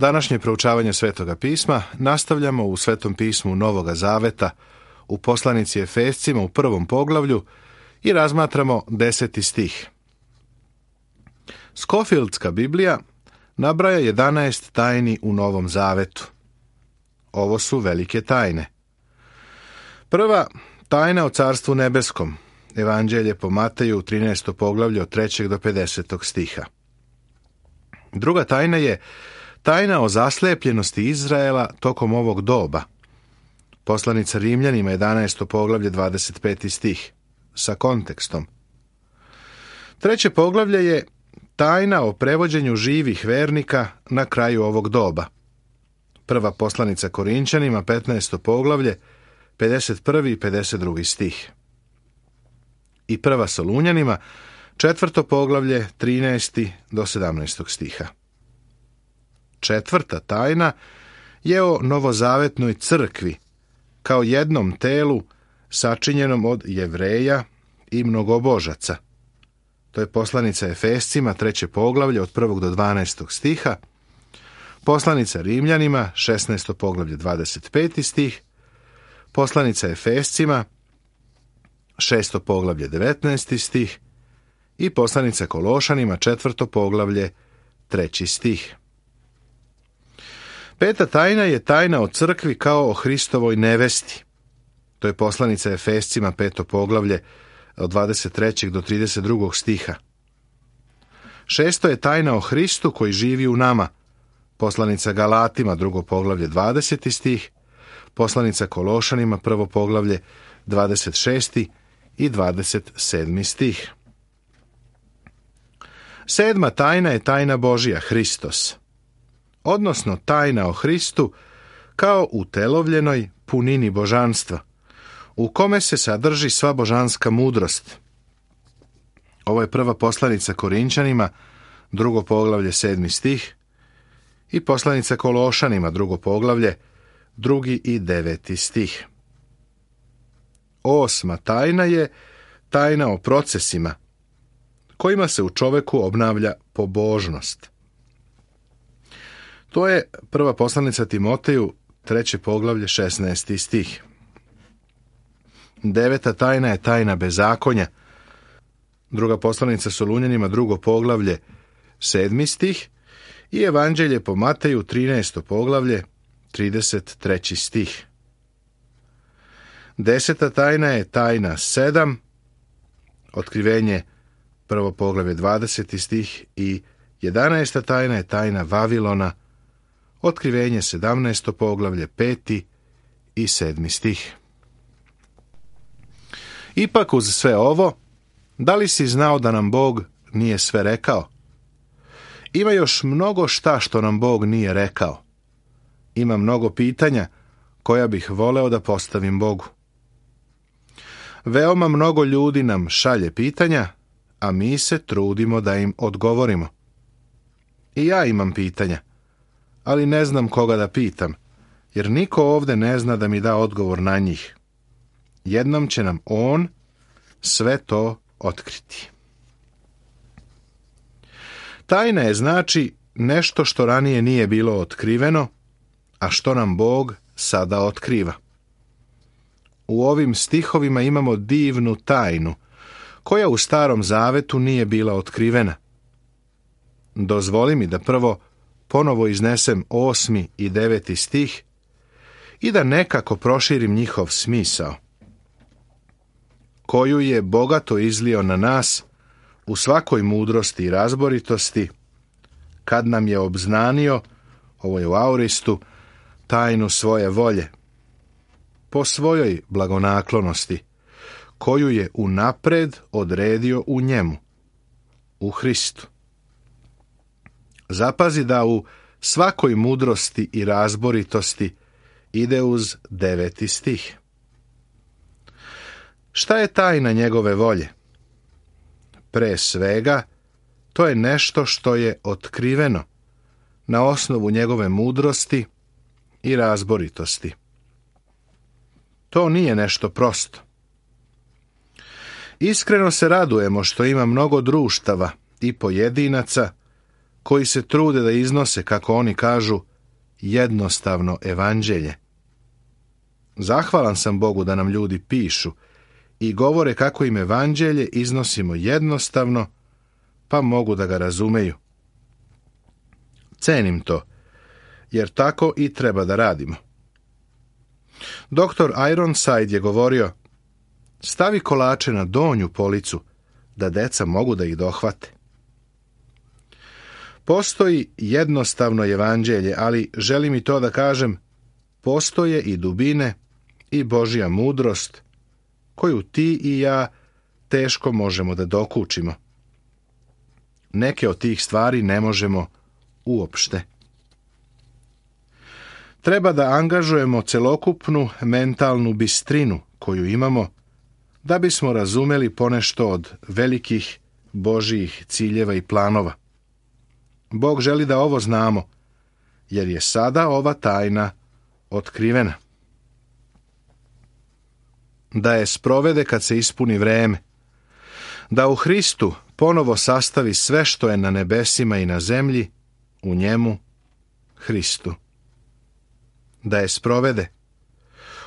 Današnje proučavanje Svetoga pisma nastavljamo u Svetom pismu Novoga Zaveta, u poslanici Efescima u 1. poglavlju i razmatramo 10. stih. Skofieldska Biblija nabraja 11 tajni u Novom Zavetu. Ovo su velike tajne. Prva, tajna o Carstvu nebeskom. Evanđelje po Mateju, 13. poglavlje od 3. do 50. stiha. Druga tajna je tajna o zaslepljenosti Izraela tokom ovog doba. Poslanica Rimljanima, 11. poglavlje, 25. stih, sa kontekstom. Treće poglavlje je tajna o prevođenju živih vernika na kraju ovog doba. Prva poslanica Korinčanima, 15. poglavlje, 51. i 52. stih. I prva Solunjanima, 4. poglavlje, 13. do 17. stiha. Četvrta tajna je o novozavetnoj crkvi, kao jednom telu sačinjenom od Jevreja i mnogobožaca. To je poslanica Efescima, 3. poglavlje od 1. do 12. stiha, poslanica Rimljanima, 16. poglavlje, 25. stih, poslanica Efescima, 6. poglavlje, 19. stih i poslanica Kološanima, 4. poglavlje, 3. stih. Peta tajna je tajna o crkvi kao o Hristovoj nevesti. To je poslanica Efescima, 5. poglavlje, od 23. do 32. stiha. Šesto je tajna o Hristu koji živi u nama. Poslanica Galatima, 2. poglavlje, 20. stih, poslanica Kološanima, 1. poglavlje, 26. i 27. stih. Sedma tajna je tajna Božija, Hristos, odnosno tajna o Hristu kao utelovljenoj punini božanstva, u kome se sadrži sva božanska mudrost. Ovo je prva poslanica Korinčanima, 2. poglavlje, 7. stih, i poslanica Kološanima, 2. poglavlje, 2. i 9. stih. Osma tajna je tajna o procesima, kojima se u čoveku obnavlja pobožnost. To je prva poslanica Timoteju, 3. poglavlje, 16. stih. Deveta tajna je tajna bezakonja. Druga poslanica Solunjanima, 2. poglavlje, 7. stih i Evanđelje po Mateju, 13. poglavlje, 33. stih. Deseta tajna je tajna 7, otkrivenje, 1. poglavlje, 20. stih i 11. tajna je tajna Vavilona, otkrivenje, 17. poglavlje, 5. i 7. stih. Ipak uz sve ovo, da li si znao da nam Bog nije sve rekao? Ima još mnogo šta što nam Bog nije rekao. Ima mnogo pitanja koja bih voleo da postavim Bogu. Veoma mnogo ljudi nam šalje pitanja, a mi se trudimo da im odgovorimo. I ja imam pitanja, ali ne znam koga da pitam, jer niko ovde ne zna da mi da odgovor na njih. Jednom će nam On sve to otkriti. Tajna je znači nešto što ranije nije bilo otkriveno, a što nam Bog sada otkriva. U ovim stihovima imamo divnu tajnu, koja u Starom Zavetu nije bila otkrivena. Dozvoli mi da prvo ponovo iznesem 8. i 9. stih i da nekako proširim njihov smisao, koju je bogato izlio na nas u svakoj mudrosti i razboritosti, kad nam je obznanio, ovo je u auristu, tajnu svoje volje, po svojoj blagonaklonosti, koju je unapred odredio u njemu, u Hristu. Zapazi da u svakoj mudrosti i razboritosti ide uz 9. stih. Šta je tajna njegove volje? Pre svega, to je nešto što je otkriveno na osnovu njegove mudrosti i razboritosti. To nije nešto prosto. Iskreno se radujemo što ima mnogo društava i pojedinaca koji se trude da iznose, kako oni kažu, jednostavno evanđelje. Zahvalan sam Bogu da nam ljudi pišu i govore kako im evanđelje iznosimo jednostavno, pa mogu da ga razumeju. Cenim to, jer tako i treba da radimo. Dr. Ironside je govorio: stavi kolače na donju policu, da deca mogu da ih dohvate. Postoji jednostavno evanđelje, ali želim i to da kažem, postoje i dubine i Božja mudrost, koju ti i ja teško možemo da dokučimo. Neke od tih stvari ne možemo uopšte. Treba da angažujemo celokupnu mentalnu bistrinu koju imamo, da bismo razumeli ponešto od velikih Božjih ciljeva i planova. Bog želi da ovo znamo, jer je sada ova tajna otkrivena. Da je sprovede kad se ispuni vreme, da u Hristu ponovo sastavi sve što je na nebesima i na zemlji, u njemu, Hristu. Da je sprovede.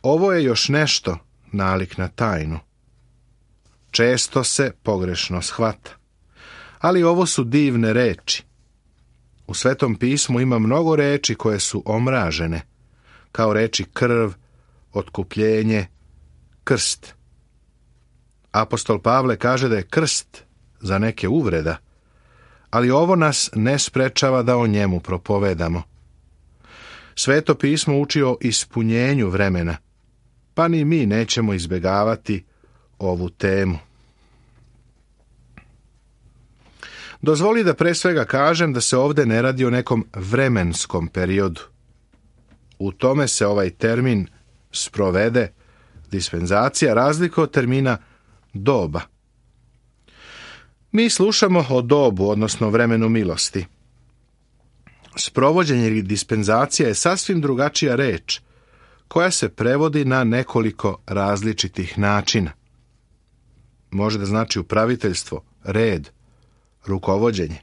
Ovo je još nešto nalik na tajnu. Često se pogrešno shvata. Ali ovo su divne reči. U Svetom pismu ima mnogo reči koje su omražene, kao reči krv, otkupljenje, krst. Apostol Pavle kaže da je krst za neke uvreda, ali ovo nas ne sprečava da o njemu propovedamo. Sveto pismo uči o ispunjenju vremena, pa ni mi nećemo izbjegavati ovu temu. Dozvoli da pre svega kažem da se ovdje ne radi o nekom vremenskom periodu. U tome se ovaj termin sprovede, dispenzacija, razlikuje od termina doba. Mi slušamo o dobu, odnosno vremenu milosti. Sprovođenje ili dispenzacija je sasvim drugačija reč, koja se prevodi na nekoliko različitih načina. Može da znači upraviteljstvo, red, rukovođenje.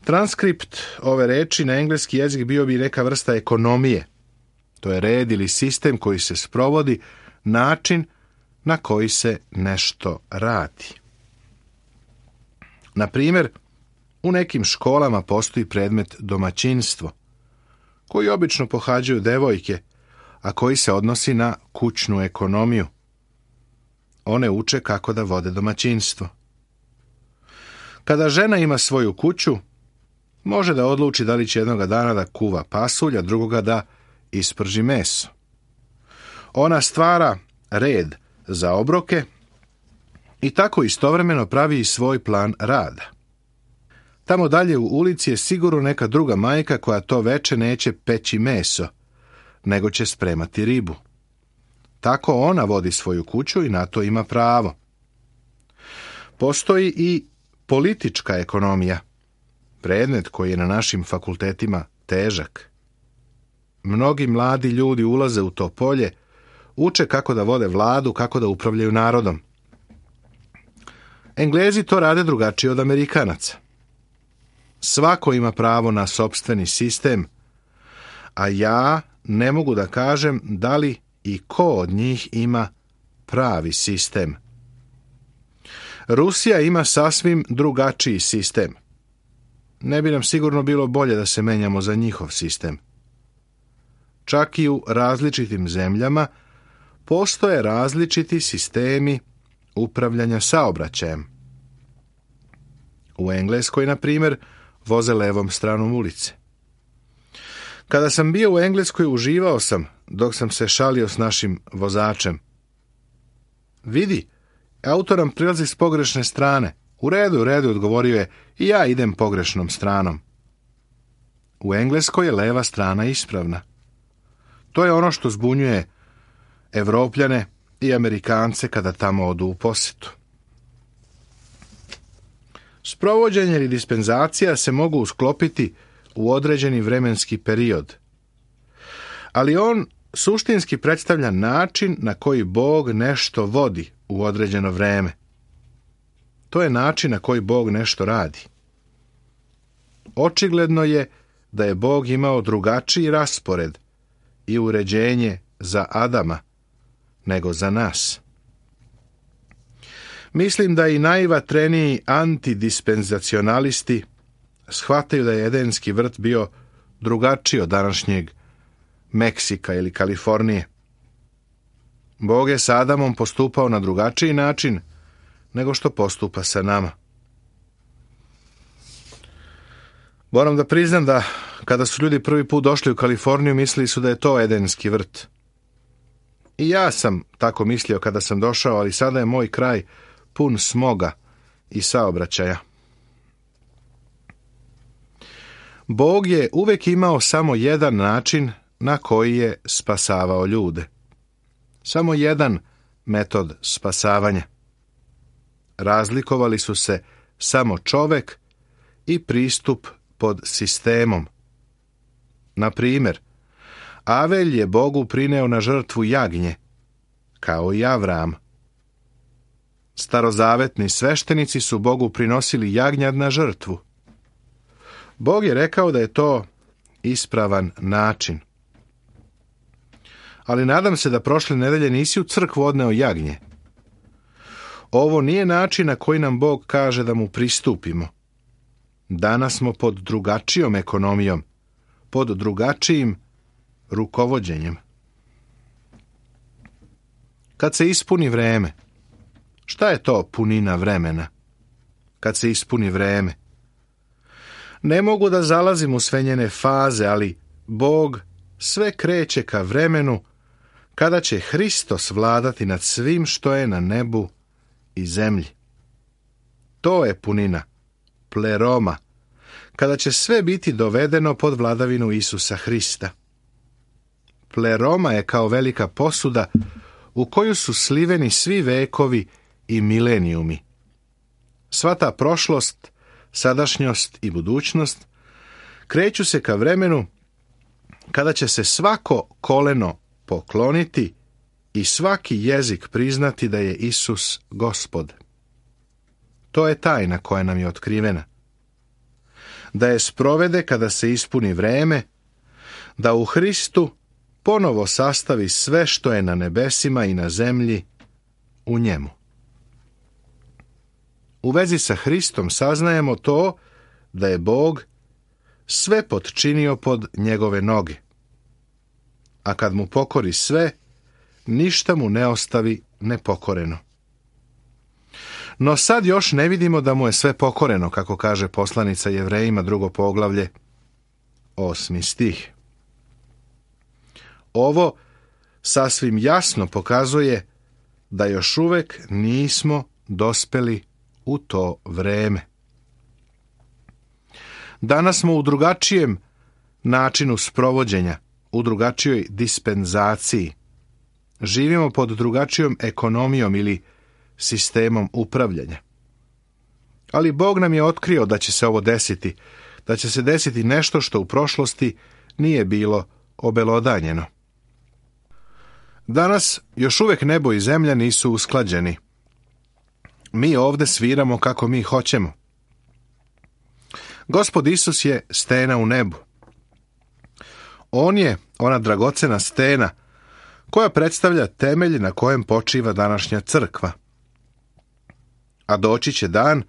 Transkript ove reči na engleski jezik bio bi neka vrsta ekonomije. To je red ili sistem koji se sprovodi, način na koji se nešto radi. Na primjer, u nekim školama postoji predmet domaćinstvo, koji obično pohađaju devojke, a koji se odnosi na kućnu ekonomiju. One uče kako da vode domaćinstvo. Kada žena ima svoju kuću, može da odluči da li će jednoga dana da kuva pasulj, a drugoga da isprži meso. Ona stvara red za obroke i tako istovremeno pravi i svoj plan rada. Tamo dalje u ulici je sigurno neka druga majka koja to veče neće peći meso, nego će spremati ribu. Tako ona vodi svoju kuću i na to ima pravo. Postoji i politička ekonomija, predmet koji je na našim fakultetima težak. Mnogi mladi ljudi ulaze u to polje, uče kako da vode vladu, kako da upravljaju narodom. Englezi to rade drugačije od Amerikanaca. Svako ima pravo na sopstveni sistem, a ja ne mogu da kažem da li i ko od njih ima pravi sistem. Rusija ima sasvim drugačiji sistem. Ne bi nam sigurno bilo bolje da se menjamo za njihov sistem. Čak i u različitim zemljama postoje različiti sistemi upravljanja saobraćajem. U Engleskoj, na primjer, voze levom stranom ulice. Kada sam bio u Engleskoj, uživao sam dok sam se šalio s našim vozačem. Vidi, auto nam prilazi s pogrešne strane. U redu, odgovorio je, i ja idem pogrešnom stranom. U Engleskoj je leva strana ispravna. To je ono što zbunjuje Evropljane i Amerikance kada tamo odu u posjetu. Sprovođenje ili dispenzacija se mogu usklopiti u određeni vremenski period, ali on suštinski predstavlja način na koji Bog nešto vodi u određeno vreme. To je način na koji Bog nešto radi. Očigledno je da je Bog imao drugačiji raspored i uređenje za Adama nego za nas. Mislim da i najvatreniji antidispenzacionalisti shvataju da je Edenski vrt bio drugačiji od današnjeg Meksika ili Kalifornije. Bog je sa Adamom postupao na drugačiji način nego što postupa sa nama. Moram da priznam da kada su ljudi prvi put došli u Kaliforniju, mislili su da je to Edenski vrt. I ja sam tako mislio kada sam došao, ali sada je moj kraj pun smoga i saobraćaja. Bog je uvek imao samo jedan način na koji je spasavao ljude. Samo jedan metod spasavanja. Razlikovali su se samo čovek i pristup pod sistemom. Na primjer, Avelj je Bogu prineo na žrtvu jagnje, kao i Avram. Starozavetni sveštenici su Bogu prinosili jagnjad na žrtvu. Bog je rekao da je to ispravan način. Ali nadam se da prošle nedelje nisi u crkvu odneo jagnje. Ovo nije način na koji nam Bog kaže da mu pristupimo. Danas smo pod drugačijom ekonomijom, pod drugačijim rukovođenjem. Kad se ispuni vreme, šta je to punina vremena? Kad se ispuni vreme. Ne mogu da zalazim u sve njene faze, ali Bog sve kreće ka vremenu kada će Hristos vladati nad svim što je na nebu i zemlji. To je punina, pleroma, kada će sve biti dovedeno pod vladavinu Isusa Hrista. Pleroma je kao velika posuda u koju su sliveni svi vekovi i milenijumi. Sva ta prošlost, sadašnjost i budućnost kreću se ka vremenu kada će se svako koleno pokloniti i svaki jezik priznati da je Isus Gospod. To je tajna koja nam je otkrivena. Da je sprovede kada se ispuni vreme, da u Hristu ponovo sastavi sve što je na nebesima i na zemlji u njemu. U vezi sa Hristom saznajemo to da je Bog sve potčinio pod njegove noge. A kad mu pokori sve, ništa mu ne ostavi nepokoreno. No sad još ne vidimo da mu je sve pokoreno, kako kaže poslanica Jevrejima 2. poglavlje, 8. stih. Ovo sasvim jasno pokazuje da još uvek nismo dospeli u to vreme. Danas smo u drugačijem načinu sprovođenja, u drugačijoj dispenzaciji. Živimo pod drugačijom ekonomijom ili sistemom upravljanja. Ali Bog nam je otkrio da će se ovo desiti, da će se desiti nešto što u prošlosti nije bilo obelodanjeno. Danas još uvek nebo i zemlja nisu usklađeni. Mi ovde sviramo kako mi hoćemo. Gospod Isus je stena u nebu. On je ona dragocena stena koja predstavlja temelj na kojem počiva današnja crkva. A doći će dan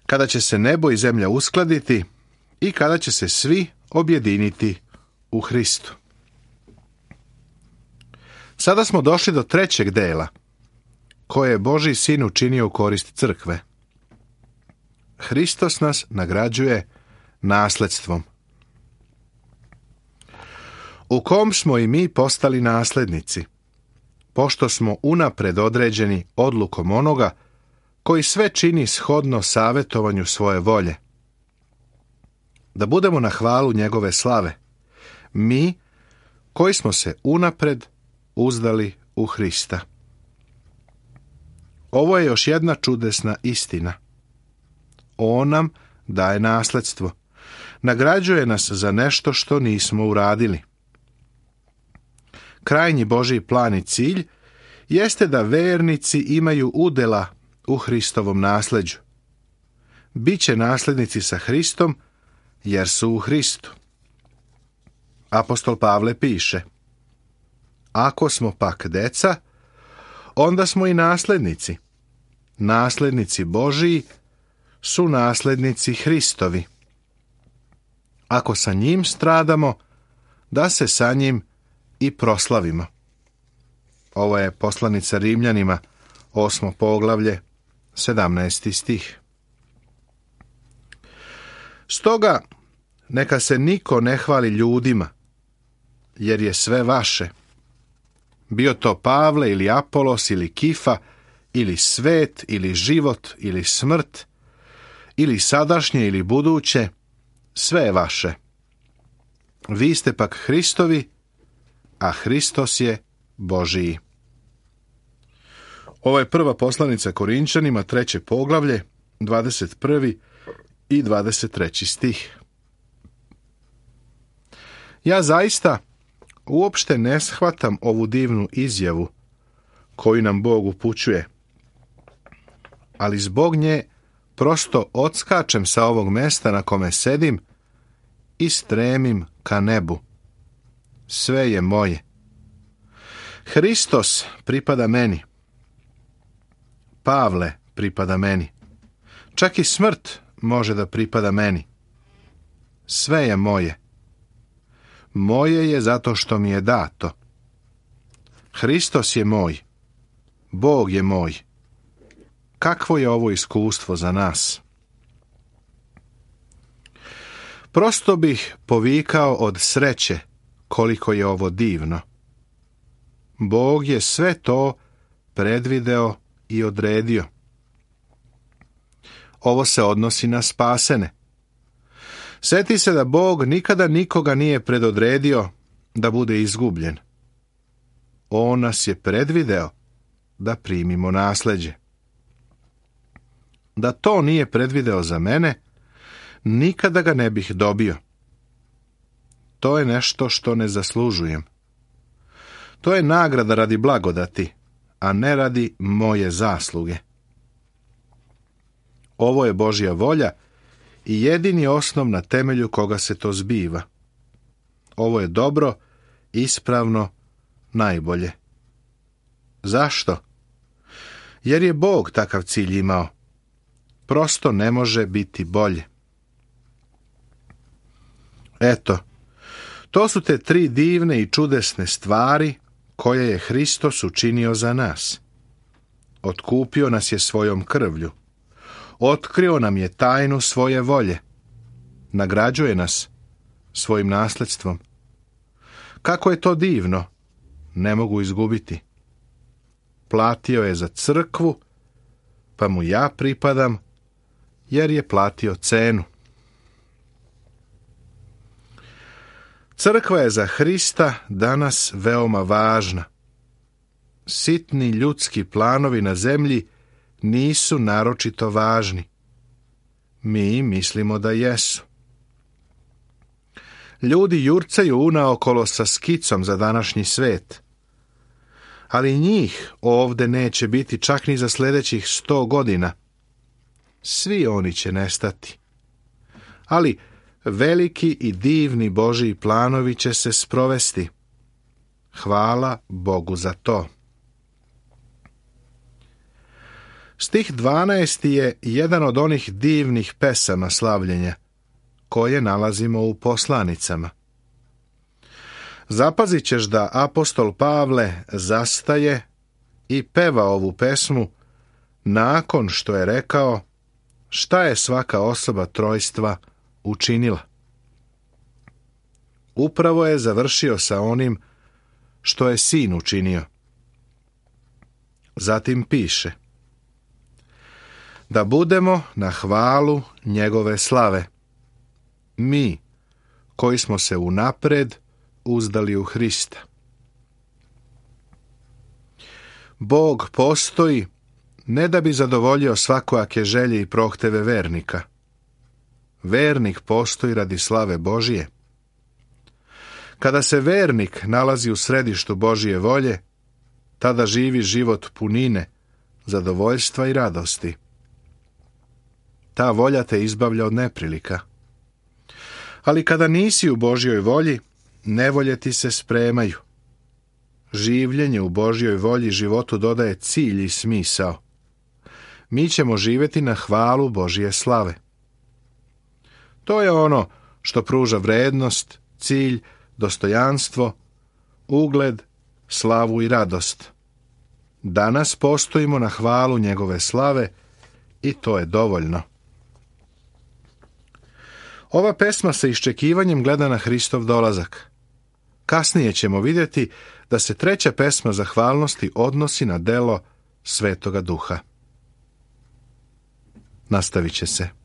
kada će se nebo i zemlja uskladiti i kada će se svi objediniti u Hristu. Sada smo došli do trećeg dela, koje je Božji sin učinio u korist crkve. Hristos nas nagrađuje nasledstvom, u kom smo i mi postali naslednici, pošto smo unapred određeni odlukom onoga koji sve čini shodno savetovanju svoje volje. Da budemo na hvalu njegove slave, mi koji smo se unapred uzdali u Hrista. Ovo je još jedna čudesna istina. On nam daje nasledstvo. Nagrađuje nas za nešto što nismo uradili. Krajnji Božji plan i cilj jeste da vernici imaju udela u Hristovom nasleđu. Biće naslednici sa Hristom jer su u Hristu. Apostol Pavle piše: ako smo pak deca, onda smo i naslednici. Naslednici Božiji su naslednici Hristovi. Ako sa njim stradamo, da se sa njim i proslavimo. Ovo je poslanica Rimljanima, 8. poglavlje, 17. stih. Stoga, neka se niko ne hvali ljudima, jer je sve vaše. Bio to Pavle ili Apolos ili Kifa, ili svet, ili život, ili smrt, ili sadašnje ili buduće, sve je vaše. Vi ste pak Hristovi, a Hristos je Božiji. Ovo je prva poslanica Korinčanima, 3. poglavlje, 21. i 23. stih. Ja zaista uopšte ne shvatam ovu divnu izjavu koju nam Bog upućuje, ali zbog nje prosto odskačem sa ovog mesta na kome sedim i stremim ka nebu. Sve je moje. Hristos pripada meni. Pavle pripada meni. Čak i smrt može da pripada meni. Sve je moje. Moje je zato što mi je dato. Hristos je moj. Bog je moj. Kakvo je ovo iskustvo za nas? Prosto bih povikao od sreće koliko je ovo divno. Bog je sve to predvideo i odredio. Ovo se odnosi na spasene. Sjeti se da Bog nikada nikoga nije predodredio da bude izgubljen. On nas je predvideo da primimo nasleđe. Da to nije predvideo za mene, nikada ga ne bih dobio. To je nešto što ne zaslužujem. To je nagrada radi blagodati, a ne radi moje zasluge. Ovo je Božja volja i jedini osnov na temelju koga se to zbiva. Ovo je dobro, ispravno, najbolje. Zašto? Jer je Bog takav cilj imao. Prosto ne može biti bolje. Eto, to su te 3 divne i čudesne stvari koje je Hristos učinio za nas. Otkupio nas je svojom krvlju. Otkrio nam je tajnu svoje volje. Nagrađuje nas svojim nasledstvom. Kako je to divno, ne mogu izgubiti. Platio je za crkvu, pa mu ja pripadam, jer je platio cenu. Crkva je za Hrista danas veoma važna. Sitni ljudski planovi na zemlji nisu naročito važni. Mi mislimo da jesu. Ljudi jurcaju unaokolo sa skicom za današnji svet. Ali njih ovde neće biti čak ni za sljedećih 100 godina. Svi oni će nestati. Ali veliki i divni Božji planovi će se sprovesti. Hvala Bogu za to. Stih 12. je jedan od onih divnih pesama slavljenja, koje nalazimo u poslanicama. Zapazit ćeš da apostol Pavle zastaje i peva ovu pesmu nakon što je rekao šta je svaka osoba trojstva učinila. Upravo je završio sa onim što je sin učinio. Zatim piše: da budemo na hvalu njegove slave, mi koji smo se unapred uzdali u Hrista. Bog postoji ne da bi zadovoljio svakojake želje i prohteve vernika. Vernik postoji radi slave Božije. Kada se vernik nalazi u središtu Božje volje, tada živi život punine, zadovoljstva i radosti. Ta volja te izbavlja od neprilika. Ali kada nisi u Božjoj volji, nevolje ti se spremaju. Življenje u Božjoj volji životu dodaje cilj i smisao. Mi ćemo živjeti na hvalu Božje slave. To je ono što pruža vrednost, cilj, dostojanstvo, ugled, slavu i radost. Danas postojimo na hvalu njegove slave i to je dovoljno. Ova pesma sa iščekivanjem gleda na Hristov dolazak. Kasnije ćemo vidjeti da se treća pesma zahvalnosti odnosi na delo Svetoga Duha. Nastavit će se.